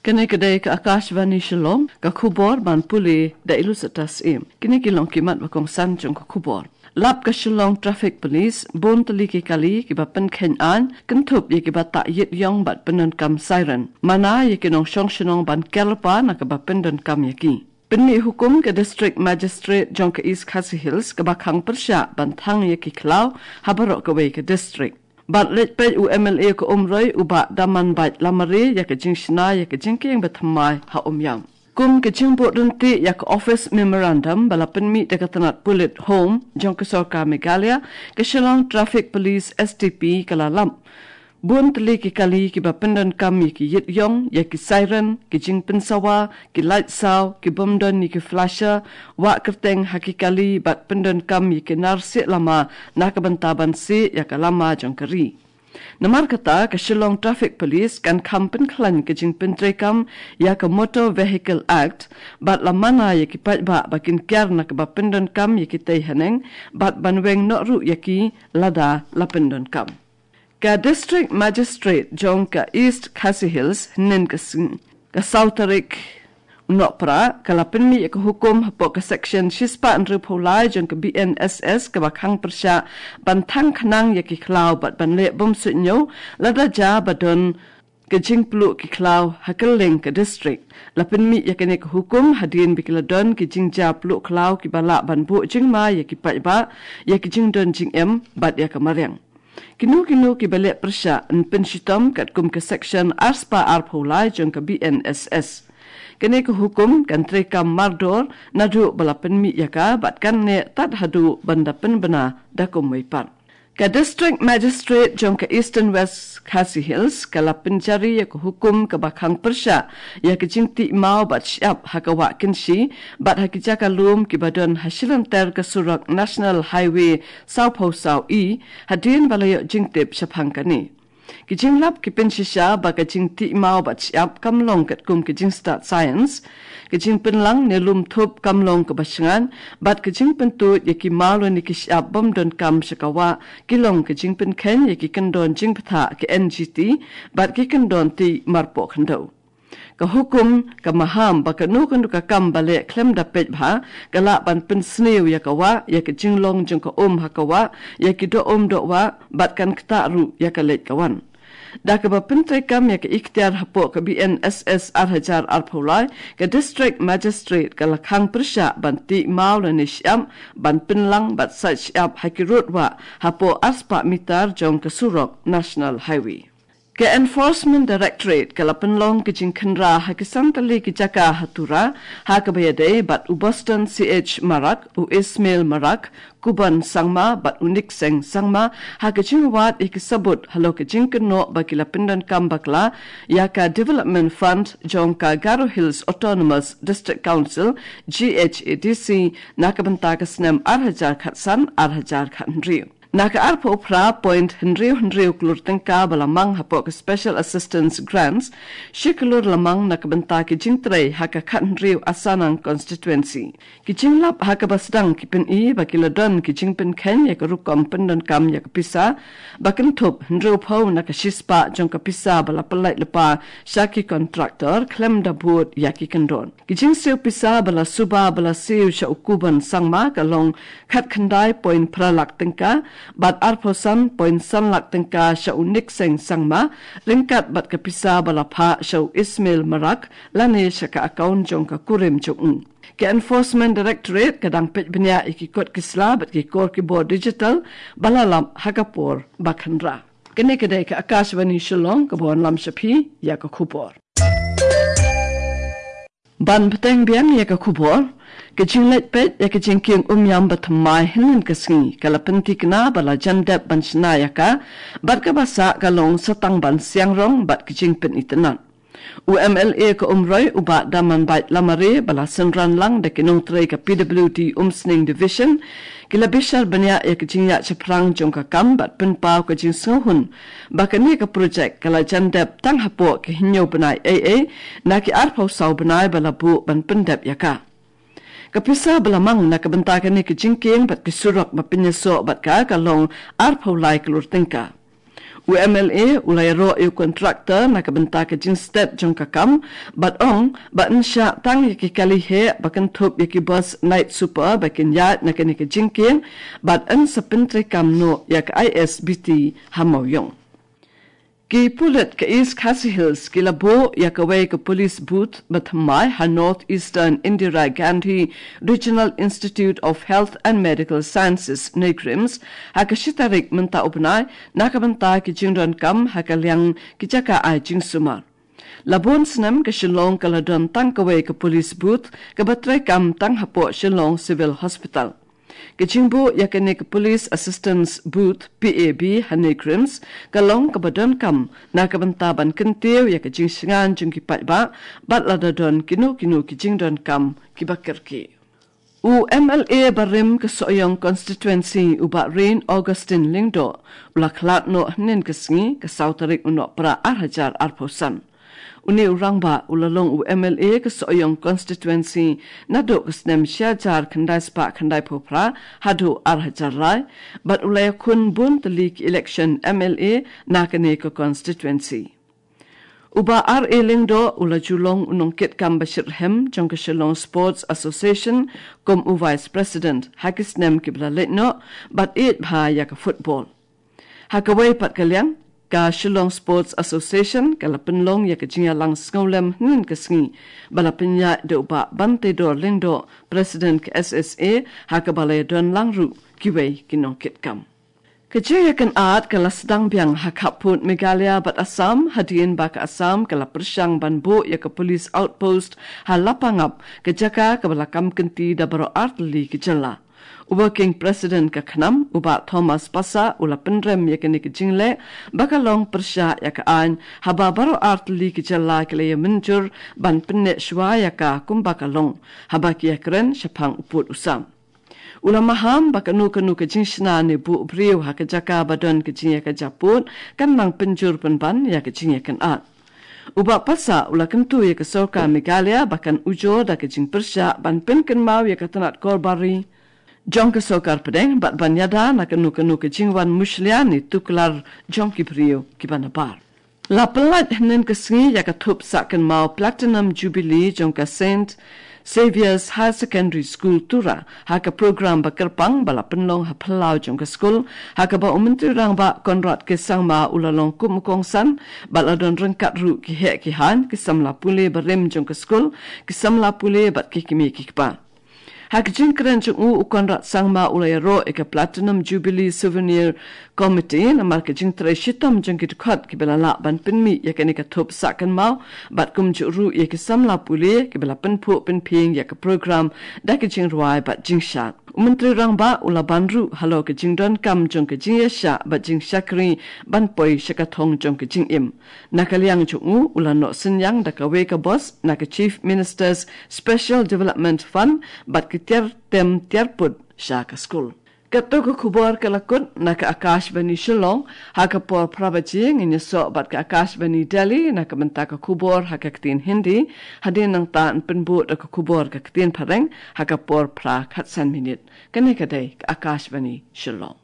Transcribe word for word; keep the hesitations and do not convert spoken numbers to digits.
Kane ka dei ka Akashvani Shillong, ka khubor ban pule da Ilusata Syiem. Kine ki long ki mat ba kongsan jong ka khubor. Lap ka Shillong Traffic Police, bun tylli ki kali kiba pynkheiñ aiñ, kynthup ïa kiba tah ïit ïong bad pyndonkam siren. Mana ïa ki nongshong shnong ban ker lypa na kaba pyndonkam ïa ki. Pynmih hukum ka District Magistrate jong ka East Khasi Hills kaba khang pyrshah ban thang ïa ki khlaw ha baroh kawei ka district. Bad leit peit u M L A ka Umroi u Bah Damanbait Lamare ïa ka jingshna ïa ka jingkieng bathymmai ha Umïam. Kum ka jingbuh ryntih ïa ka Office Memorandum ba la pynmih da ka tnat pulit Home jong ka sorkar Meghalaya, ka Shillong Traffic Police S T P ka la lap bun tylli ki kali kiba pyndonkam ïa ki ïit ïong, ïa ki siren, ki jingpynsawa, ki lait saw, ki bym don ïa ki flasher, wah kyrteng ha ki kali bad pyndonkam ïa ki nar sieh lama na ka bynta ban sieh ïa ka lama jong ka ri. Namar kata ka Shillong Traffic Police kan kham pynkhlaiñ ka jingpyntreikam ïa ka Motor Vehicle Act bad la mana ïa ki paidbah ba kin kiar na kaba pyndonkam ïa kitei haneng bad ban weng noh ruh ïa ki lada la pyndonkam. Ka District Magistrate jong ka East Khasi Hills hynnin ka sngi, ka saw tarik u Nohprah, ka la pynmih ïa ka hukum hapoh ka Section shispah hynriewphew lai jong ka B N S S kaba khang pyrshah ban thang khnang ïa ki khlaw bad ban leh bym suidñiew lada jia ba don ka jingpluh ki khlaw ha kylleng ka district. La pynmih ïa kane ka hukum hadien ba ki la don ki jingjia pluh khlaw kiba lah ban buh jingma ïa ki paidbah, ïa ki jingdon jingem bad ïa ka mariang. Kino kino kiba leh pyrshah yn pynshitom katkum ka Section arspah arphew lai jong ka B N S S. Kane ka hukum kan treikam mardor naduh ba la pynmih ïa ka bad kan neh tad haduh ban da pynbna da kumwei pat. Ka District Magistrate jong ka Eastern West Khasi Hills ka la pynjari ïa ka hukum kaba khang pyrshah ïa ka jingtih maw bad shyiap ha ka Wah Kynshi bad ha ki jaka lum kiba don ha shilynter ka surok National Highway sawphew saw E, hadien ba la ïoh jingtip shaphang kane. Ki jinglap ki pynshisha ba ka jingtih maw bad shyiap kam long katkum ka jingstad science. Ka jingpynlang ne lum thup kam long kaba shngaiñ bad ka jingpyntuid ïa ki maw lane ki shyiap bym donkam sha ka wah ki long ka jingpynkheiñ ïa ki kyndon jingbthah ka N G T bad ki kyndon tih marpoh khyndew. Ka hukum ka maham ba kano kano ka kam ba leh khlem da peit bha ka lah ban pynsniew ïa ka wah, ïa ka jinglong jong ka um ha ka wah, ïa ki doh um doh wah bad kan ktah ruh ïa ka leit ka wan. Da kaba pyntreikam ïa ka iktiar hapoh ka B N S S ar hajar arphew lai, ka District Magistrate ka la khang pyrshah ban tih maw lane shyiap ban pynlang bad sait shyiap ha ki rud wah hapoh arspah mitar jong ka surok National Highway. Ka Enforcement Directorate ka la pynlong ka jingkhynra ha ki san tylli ki jaka ha Tura, ha kaba ïadei bad u Boston C H Marak, u Ismail Marak, Kuban Sangma bad u Nikseng Sangma, ha ka jingwad ïa ki sabut halor ka jingkynnoh ba ki la pyndonkam bakla ïa ka Development Fund jong ka Garo Hills Autonomous District Council, G H A D C, na ka bynta ka snem ar hajar khatsan ar hajar khathynriew. Na ka arphew phra point hynriew hynriew klur tyngka ba la mang hapoh ka Special Assistance Grants, shi klur la mang na ka bynta ki jingtrei ha ka khathynriew Asanang Constituency. Ki jinglap ha kaba sdang ki pyni ba ki la don ki jingpynkheiñ ïa ka rukom pyndonkam ïa ka pisa ba kynthup hynriewphew na ka shispah jong ka pisa ba la pyllait lypa sha ki contractor khlem da bud ïa ki kyndon. Ki jingsiew pisa ba la suba ba la siew sha u Kuban Sangma ka long khatkhyndai point phra lak tyngka, bad arphew san point san lak tyngka sha u Nikseng Sangma, ryngkat bad ka pisa ba la phah sha u Ismail Marak lane sha ka account jong ka kurim jong u. Ka Enforcement Directorate ka dang peit bniah ïa ki kot ki sla bad ki kor ki bor digital ba la lap ha ka por ba khynra. Kane ka dei ka Akashvani Shillong kaba wanlam sha phi ïa ka khubor. Ban bteng biang ïa ka khubor, ka jingleit peit ïa ka jingkieng Umïam bathymmai hynnin ka sngi ka la pynthikna ba la jan dep ban shna ïa ka, bad kaba sah ka long sa tang ban siang rong bad ka jingpynitynnad. U M L A ka Umroi u Bah Damanbait Lamare ba la synran lang da ki nongtrei ka P W D Umsning Division, ki la bishar bniah ïa ka jingïaid shaphrang jong ka kam bad pynpaw ka jingsngewhun ba kane ka projek ka la jan dep tang hapoh ka hynñiew bnai eiei na ki arphew saw bnai ba la buh ban pyndep ïa ka. Ka pisa ba la mang na ka bynta kane ka jingkieng bad ki surok ba pynïasoh bad ka ka long arphew lai klur tyngka. U M L A u la ïaroh ïa u contractor na ka bynta ka jingstet jong ka kam, bad ong ba yn shah tang ïa ki kali heh ba kynthup ïa ki bus night super ba kin ïaid na kane ka jingkieng, bad yn sa pyntreikam noh ïa ka I S B T ha Mawïong. Ki pulit ka East Khasi Hills ki la buh ïa kawei ka police booth ba thymmai ha North Eastern Indira Gandhi Regional Institute of Health and Medical Sciences, NEIGRIHMS, ha ka shi tarik mynta u bnai, na ka bynta ki jingdonkam ha ka liang ki jaka ai jingsumar. La bun snem ka Shillong ka la don tang kawei ka police booth kaba treikam tang hapoh Shillong Civil Hospital. Ka jingbuh ïa kane ka Police Assistance Booth, P A B, ha NEIGRIHMS ka long kaba donkam na ka bynta ban kyntiew ïa ka jingshngaiñ jong ki paidbah bad lada don kino kino ki jingdonkam kiba kyrkieh. U M L A barim ka Sohiong Constituency, u Bah Rein Augustine Lyngdoh, u la khlad noh hynnin ka sngi, ka saw tarik u Nohprah ar hajar arphew san. Une u rangbah u la long u M L A ka Sohiong Constituency naduh ka snem shi hajar khyndai spah khyndaiphew phra haduh ar hajar lai, bad u la ïakhun bun tylli ki election M L A na kane ka constituency. U Bah R A Lyngdoh u la ju long u nongkitkam ba shitrhem jong ka Shillong Sports Association kum u Vice President ha ki snem kiba la leit noh, bad ïeit bha ïa ka football. Ha kawei pat ka liang, ka Shillong Sports Association ka la pynlong ïa ka jingïalang sngewlem hynnin ka sngi ba la pynïaid da u Bah Banteidor Lyngdoh, President ka S S A, ha kaba la ïadon lang ruh kiwei ki nongkitkam. Ka jingïakynad ka la sdang biang ha khappud Meghalaya bad Assam, hadien ba ka Assam ka la pyrshang ban buh ïa ka police outpost ha Lapangap, ka jaka kaba la kam kynti da baroh ar tylli ki jylla. U Working President ka KHNAM, u Bah Thomas Passah, u la pynrem ïa kane ka jingleh ba ka long pyrshah ïa ka aiñ, haba baroh ar tylli ki jylla ki la ïamynjur ban pynneh shuwa ïa ka kumba ka long, haba ki ïakren shaphang u pud u sam. U la maham ba kano kano ka jingshna ne buh briew ha ka jaka ba don ka jingïakajia pud kan nang pynjur pynban ïa ka jingïakynad. U Bah Passah u la kyntu ïa ka sorkar Meghalaya ba kan ujor da ka jingpyrshah ban pynkynmaw ïa ka tnat kor bari jong ka sorkar pdeng bad ban ïada na kano kano ka jingwan mushlia ne tuklar jong ki briew kiba nabar. La pynlait hynnin ka sngi ïa ka thup sah kynmaw Platinum Jubilee jong ka Saint Xavier's Higher Secondary School, Tura, ha ka program ba kyrpang ba la pynlong ha phyllaw jong ka skul, ha kaba u Myntri Rangbah Conrad K Sangma u la long kum u kongsan, bad la don ryngkat ruh ki heh ki haiñ, ki samla pule barim jong ka skul, ki samla pule bad ki kmie ki kpa. Ha ka jingkren jong u, u Conrad Sangma u la ïaroh ïa ka Platinum Jubilee Souvenir Committee namar ka jingtrei shitom jong ki dkhot kiba la lah ban pynmih ïa kane ka thup sah kynmaw, bad kumjuh ruh ïa ki samla pule kiba la pynphuh pynphieng ïa ka program da ka jingrwai bad jingshad. U Myntri Rangbah u la ban ruh halor ka jingdonkam jong ka jingïasyllok bad jingshakri ban poi sha ka thong jong ka jingim. Na ka liang jong u, u la noh synñiang da kawei ka bos na ka Chief Minister's Special Development Fund bad ki tiar tem tiar pud sha ka skul. Kato ka khubor ka la kut na ka Akashvani Shillong, ha ka por phra baje ngin ïasoh bad ka Akashvani Delhi na ka bynta ka khubor ha ka ktien Hindi, hadien nangta yn pynbud da ka khubor ka ktien Phareng ha ka por phra khatsan minit. Kane ka dei ka Akashvani Shillong.